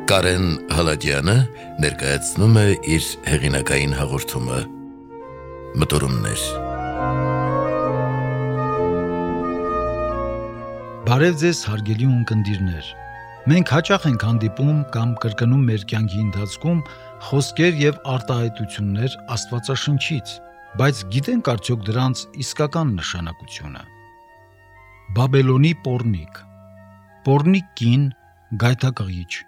Կարեն Հալաջյանը ներկայացնում է իր հեղինակային հաղորդումը Մտորումներ։ Բարև ձեզ հարգելի ունկնդիրներ։ Մենք հաճախ ենք հանդիպում կամ կրկնում մեր կյանքի ընթացքում խոսքեր եւ արտահայտություններ Աստվածաշնչից, բայց գիտենք արդյոք դրանց իսկական նշանակությունը։ Բաբելոնի պոռնիկ։ Պոռնիկ կին, գայթակղիչ։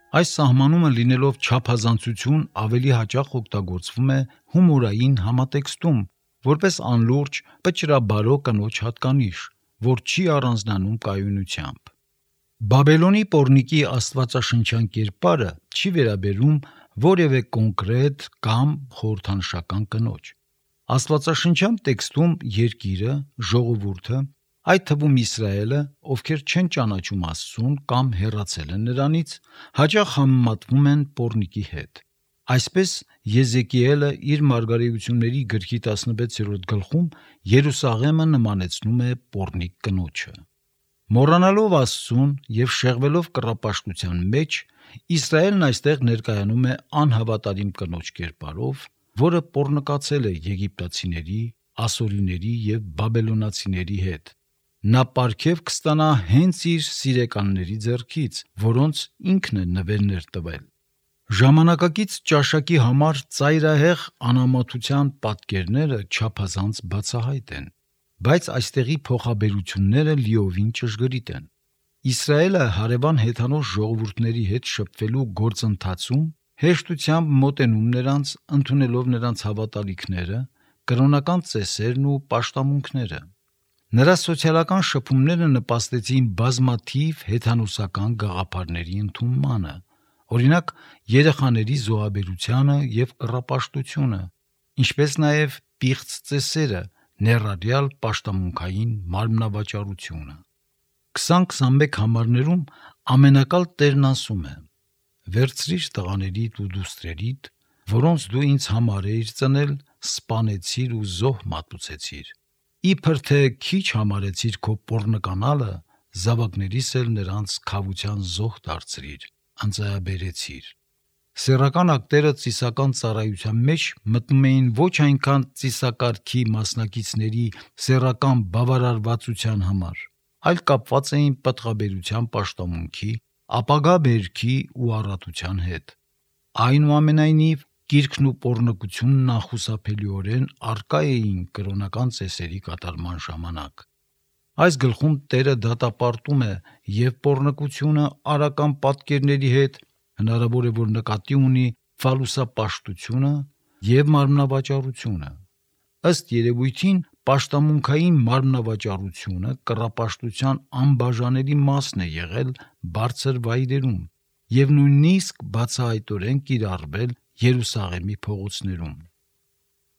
Այս սահմանումը լինելով չափազանցություն ավելի հաճախ օգտագործվում է հումորային համատեքստում, որպես անլուրջ, պճրաբարո կնոջ հատկանիշ, որ չի առանձնանում կայունությամբ։ Բաբելոնի պոռնիկի աստվածաշնչյան կերպարը չի վերաբերում որևէ կոնկրետ կամ խորհրդանշական կնոջ։ Աստվածաշնչյան տեքստում երկիրը, ժողովուրդը, այդ թվում Իսրայելը, ովքեր չեն ճանաչում Աստծուն կամ հեռացել են նրանից, հաճախ համեմատվում են պոռնիկի հետ։ Այսպես Եզեկիելը իր մարգարեությունների գրքի 16-րդ գլխում Երուսաղեմը նմանեցնում է պոռնիկ կնոջը։ Մոռանալով Աստծուն եւ շեղվելով կռապաշտության մեջ, Իսրայելն այստեղ ներկայանում է անհավատարիմ կնոջ կերպարով, որը պոռնկացել է եգիպտացիների, ասորիների եւ բաբելոնացիների հետ։ Նա պարգև կստանա հենց իր սիրեկանների ձեռքից, որոնց ինքն է նվերներ տվել։ Ժամանակակից ճաշակի համար ծայրահեղ անամոթության պատկերները չափազանց բացահայտ են, բայց այստեղի փոխաբերությունները լիովին ճշգրիտ են։ Իսրայելը հարևան հեթանոս ժողովուրդների հետ շփվելու գործընթացում հեշտությամբ մոտենում նրանց, ընդունելով նրանց հավատալիքները, կրոնական ծեսերն ու պաշտամունքները։ Նրա սոցիալական շփումները նպաստեցին բազմաթիվ հեթանոսական գաղափարների ընդունմանը, օրինակ երեխաների զոհաբերությանը եւ կռապաշտությունը, ինչպես նաեւ պիղծ ծեսերը, ներառյալ պաշտամունքային մարմնավաճառությունը։ 20-21 համարներում ամենակալ Տերն ասում է. «Վերցրիր տղաներիդ ու դուստրերիդ, որոնց դու ինձ համար էիր ծնել, սպանեցիր ու զոհ մատուցեցիր։ Իբր թե քիչ համարեցիր քո պոռնկանալը, զավակներիս էլ նրանց քավության զոհ դարձրիր, ընծայաբերեցիր»։ Սեռական ակտերը ծիսական ծառայության մեջ մտնում էին ոչ այնքան ծիսակարգի մասնակիցների սեռական բավարարվածության համար, այլ կապված էին պտղաբերության պաշտամունքի, ապագա բերքի ու առատության հետ։ Այնուամենայնիվ, կիրքն ու պոռնկությունն անխուսափելիորեն առկա էին կրոնական ծեսերի կատարման ժամանակ։ Այս գլխում Տերը դատապարտում է եւ պոռնկությունը արական պատկերների հետ, հնարավոր է, որ նկատի ունի ֆալուսապաշտությունը եւ մարմնավաճառությունը։ Ըստ երևույթին, պաշտամունքային մարմնավաճառությունը կռապաշտության անբաժանելի մասն է եղել բարձր վայրերում եւ նույնիսկ բացահայտորեն կիրառվել Երուսաղեմի փողոցներում։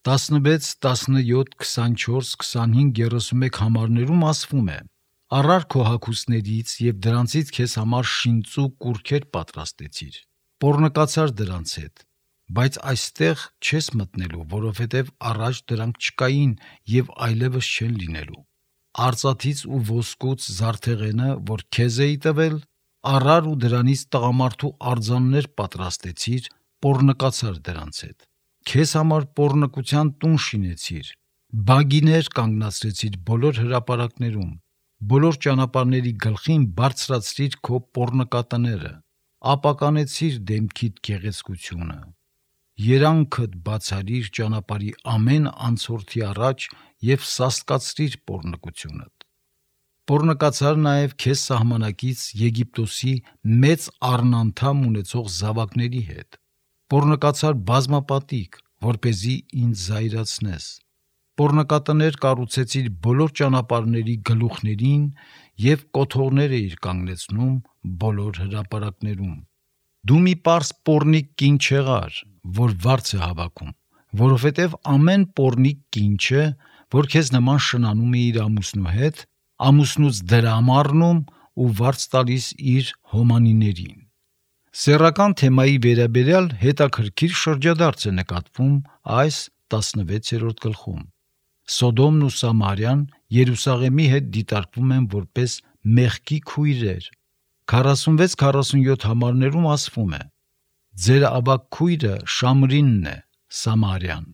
16, 17, 24, 25, 31 համարներում ասվում է. «Առար քո հագուստներից եւ դրանցից քեզ համար շինծու կուրքեր պատրաստեցիր, պոռնկացար դրանց հետ, բայց այստեղ չես մտնելու, որովհետեւ առաջ դրանք չկային եւ այլևս չեն լինելու։ Արծաթից ու ոսկուց զարդեղենը, որ քեզ էի տվել, առար ու դրանից տղամարդու արձաններ պատրաստեցիր, պոռնկացար դրանց հետ։ Քեզ համար պոռնկության տուն շինեցիր, բագիներ կանգնացրեցիր բոլոր հրապարակներում, բոլոր ճանապարհների գլխին բարձրացրիր քո պոռնկատները, ապականեցիր դեմքիդ գեղեցկությունը, երանքդ բացարիր ճանապարհի ամեն անցորդի առաջ եւ սաստկացրիր պոռնկությունդ։ Պոռնկացար նաեւ քեզ սահմանակից Եգիպտոսի մեծ առնանդամ ունեցող զավակների հետ։ Պոռնկացար բազմապատիկ, որպեսզի ինձ զայրացնես։ Պոռնկատներ կառուցեցիր բոլոր ճանապարհների գլուխներին եւ կոթողներ էիր կանգնեցնում բոլոր հրապարակներում։ Դու մի պարզ պոռնիկ կին չեղար, որ վարձ է հավաքում, որովհետեւ ամեն պոռնիկ կին չէ, որ քեզ նման շնանում է իր ամուսնու հետ, ամուսնուց դրամ առնում ու վարձ տալիս իր հոմանիներին։ Սեռական թեմայի վերաբերյալ հետաքրքիր շրջադարձ է նկատվում այս 16-րդ գլխում։ Սոդոմն ու Սամարյան Երուսաղեմի հետ դիտարկվում են որպես մեղքի քույրեր, 46-47 համարներում ասվում է. «Ձեր ավագ քույրը Շամրինն է, Սամարյան,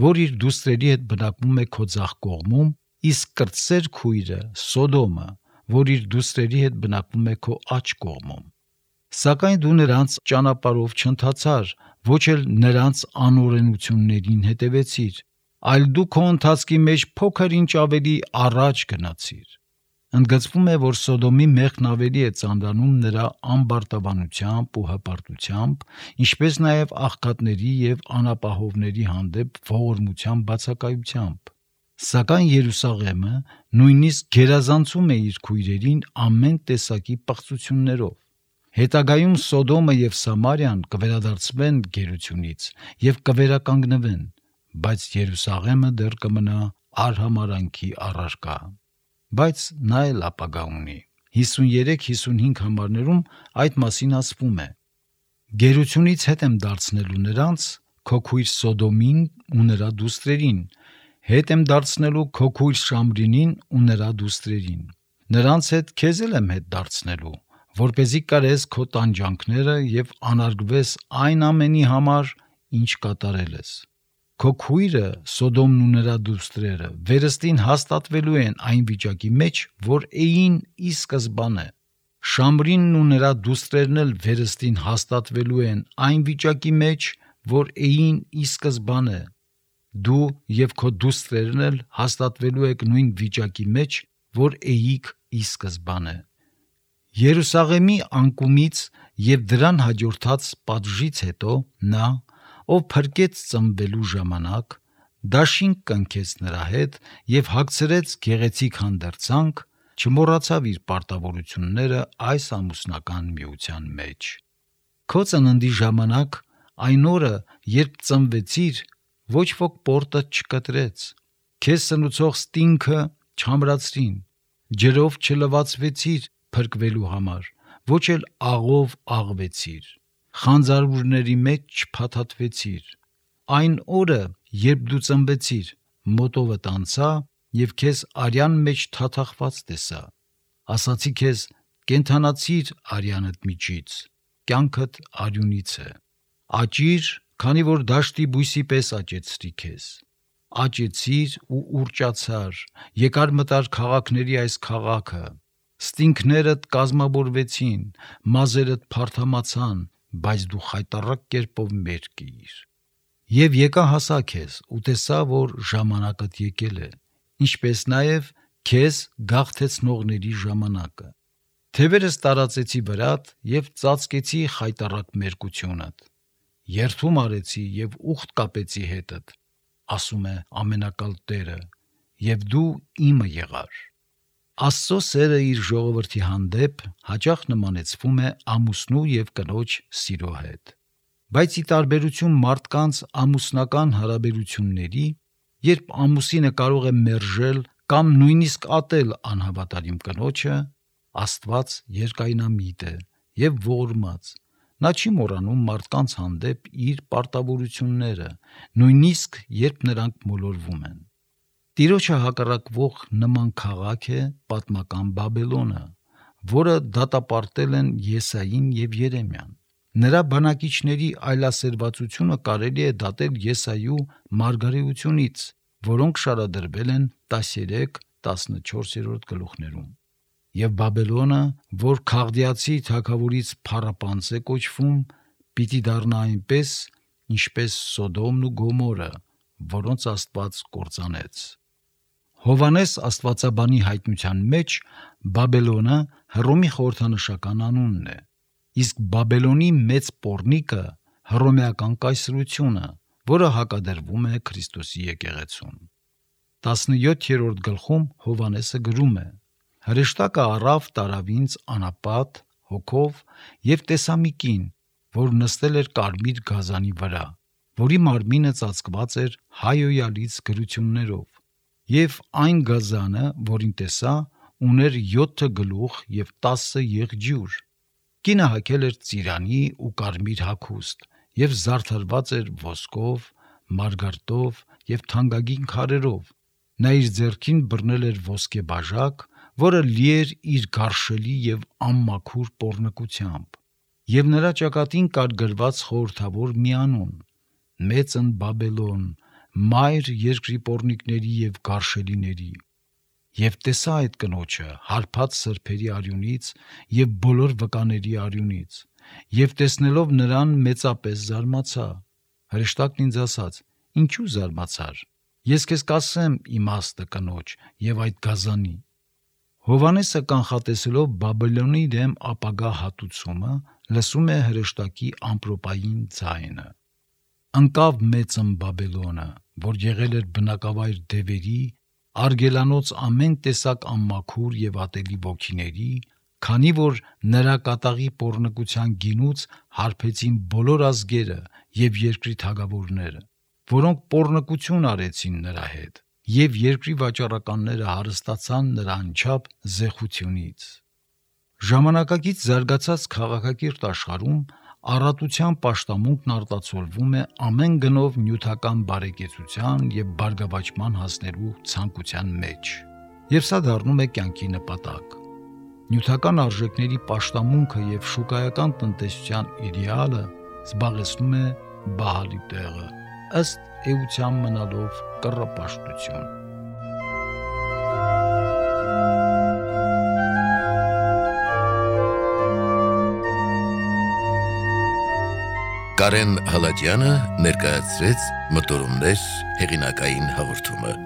որ իր դուստրերի հետ բնակվում է քո ձախ կողմում, իսկ կրտսեր քույրը Սոդոմը, որ իր դուստրերի հետ բնակվում է քո աջ կողմում։ Սակայն դու նրանց ճանապարհով չընթացար, ոչ էլ նրանց անօրենություններին հետևեցիր, այլ դու քո ընթացքի մեջ փոքր ինչ ավելի առաջ գնացիր»։ Ընդգծվում է, որ Սոդոմի մեղքն ավելի է ծանրանում նրա ամբարտավանությամբ ու հպարտությամբ, ինչպես նաև աղքատների և անապահովների հանդեպ ողորմության բացակայությամբ։ Սակայն Երուսաղեմը նույնիսկ գերազանցում է իր քույրերին ամեն տեսակի պղծություններով։ Հետագայում Սոդոմը և Սամարիան կվերադարձվեն գերությունից և կվերականգնվեն, բայց Երուսաղեմը դեռ կմնա արհամարհանքի առարկա։ Բայց նա էլ ապագա ունի։ 53-55 համարներում այդ մասին ասվում է. «Գերությունից հետ եմ դարձնելու նրանց, քո քույր Սոդոմին ու նրա դուստրերին, հետ եմ դարձնելու քո քույր Շամրինին ու նրա դուստրերին։ Նրանց հետ քեզ էլ եմ հետ դարձնելու, որպեսզի կարես քո տանջանքները և անարգվես այն ամենի համար, ինչ կատարել ես։ Քո քույրը Սոդոմն ու նրա դուստրերը վերստին հաստատվելու են այն վիճակի մեջ, որ էին ի սկզբանե։ Շամրինն ու նրա դուստրերն էլ վերստին հաստատվելու են այն վիճակի մեջ, որ էին ի սկզբանե։ Դու և քո դուստրերն էլ հաստատվելու եք նույն վիճակի մեջ, որ էիք ի սկզբանե։ Երուսաղեմի անկումից և դրան հաջորդած պատժից հետո նա, ով փրկեց ծնվելու ժամանակ, դաշինք կնքեց նրա հետ և հագցրեց գեղեցիկ հանդերձանք, չմոռացավ իր պարտավորությունները այս ամուսնական միության մեջ։ Քո ծննդի ժամանակ, այն օրը, երբ ծնվեցիր, ոչ ոք պորտդ չկտրեց, քեզ սնուցող ստինգը չամրացրին, ջրով չլվացվեցիր փրկվելու համար, ոչ էլ աղով աղվեցիր, խանձարուրների մեջ չփաթաթվեցիր։ Այն օրը, երբ դու ծնվեցիր, մոտովդ անցա և քեզ արյան մեջ թաթախված տեսա։ Ասացի քեզ. կենդանացիր արյանդ միջից, կյանքդ արյունից է։ Աճիր, քանի որ դաշտի բույսի պես աճեցրի քեզ։ Աճեցիր ու ուռճացար, եկար մտար քաղաքների այս քաղաքը, ստինգներդ կազմավորվեցին, մազերդ փարթամացան, բայց դու խայտառակ կերպով մերկիր։ Եվ եկա հասա քեզ ու տեսա, որ ժամանակդ եկել է, ինչպես նաև քեզ գաղթեցնողների ժամանակը։ Թևերս տարածեցի վրադ և ծածկեցի խայտառակ մերկությունդ։ Երդում արեցի և ուխտ կապեցի հետդ, ասում է Ամենակալ Տերը, և դու իմը եղար։ Աստծո սերը իր ժողովրդի հանդեպ հաճախ նմանեցվում է ամուսնու և կնոջ սիրո հետ։ Բայց ի տարբերություն մարդկանց ամուսնական հարաբերությունների, երբ ամուսինը կարող է մերժել կամ նույնիսկ ատել անհավատարիմ կնոջը, Աստված երկայնամիտ է և ողորմած, նա չի մոռանում մարդկանց հանդեպ իր պարտավորությունները, նույնիսկ երբ նրանք մոլորվում են։ Տիրոջը հակառակվող նման քաղաք է պատմական Բաբելոնը, որը դատապարտել են Եսային և Երեմիան։ Նրա բնակիչների այլասերվածությունը կարելի է դատել Եսայու մարգարեությունից, որոնք շարադրվել են 13-14 գլուխներում։ Եվ Բաբելոնը, որ Քաղդիացի թագավորից փառապանծ է կոչվում, պիտի դառնա այնպես, ինչպես Սոդոմն ու Գոմորը, որոնց Աստված կործանեց։ Հովհաննես աստվածաբանի հայտնության մեջ Բաբելոնը Հռոմի խորհրդանշական անունն է, իսկ Բաբելոնի մեծ պոռնիկը հռոմեական կայսրությունը, որը հակադրվում է Քրիստոսի եկեղեցուն։ 17-րդ գլխում Հովհաննեսը գրում է. «Հրեշտակը առավ տարավ ինձ անապատ հոգով և տեսա մի կին, որ նստել էր կարմիր գազանի վրա, որի մարմինը ծածկված էր հայհոյալից գրություններով, և այն գազանը, որին տեսա, ուներ 7 գլուխ և 10 եղջյուր։ Կինը հագել էր ծիրանի ու կարմիր հագուստ և զարդարված էր ոսկով, մարգարտով և թանկագին քարերով։ Նա իր ձեռքին բռնել էր ոսկե բաժակ, որը լի էր իր գարշելի եւ անմաքուր պոռնկությամբ, եւ նրա ճակատին կար գրված խորհրդավոր մի անուն՝ Մեծն Բաբելոն, մայր երկրի պոռնիկների եւ գարշելիների։ Եվ տեսա այդ կնոջը հարբած սրբերի արյունից եւ բոլոր վկաների արյունից, եւ տեսնելով նրան մեծապես զարմացա։ Հրեշտակն ինձ ասաց. «Ինչու զարմացար։ Ես քեզ կասեմ իմաստը կնոջ եւ այդ գազանի»։ Հովհաննեսը կանխատեսելով Բաբելոնի դեմ ապագա հատուցումը, լսում է հրեշտակի ամպրոպային ձայնը։ Ընկավ Մեծն Բաբելոնը, որ եղել էր բնակավայր դևերի, արգելանոց ամեն տեսակ անմաքուր եւ ատելի ոգիների, քանի որ նրա կատաղի պոռնկության գինուց հարբեցին բոլոր ազգերը եւ երկրի թագավորները, որոնք պոռնկություն արեցին նրա հետ, եւ երկրի վաճառականները հարստացան նրա անչափ զեխությունից։ Ժամանակակից զարգացած քաղաքակիրթ աշխարհում առատության պաշտամունքն արտացոլվում է ամեն գնով նյութական բարեկեցության եւ բարգավաճման հասնելու ցանկության մեջ, եւ սա դառնում է կյանքի նպատակ։ Նյութական արժեքների պաշտամունքը եւ շուկայական տնտեսության իդեալը զբաղեցնում է բահալի տեղը, ըստ էության մնալով կռապաշտություն։ Կարեն Հալաջյանը ներկայացրեց Մտորումներ հեղինակային հաղորդումը։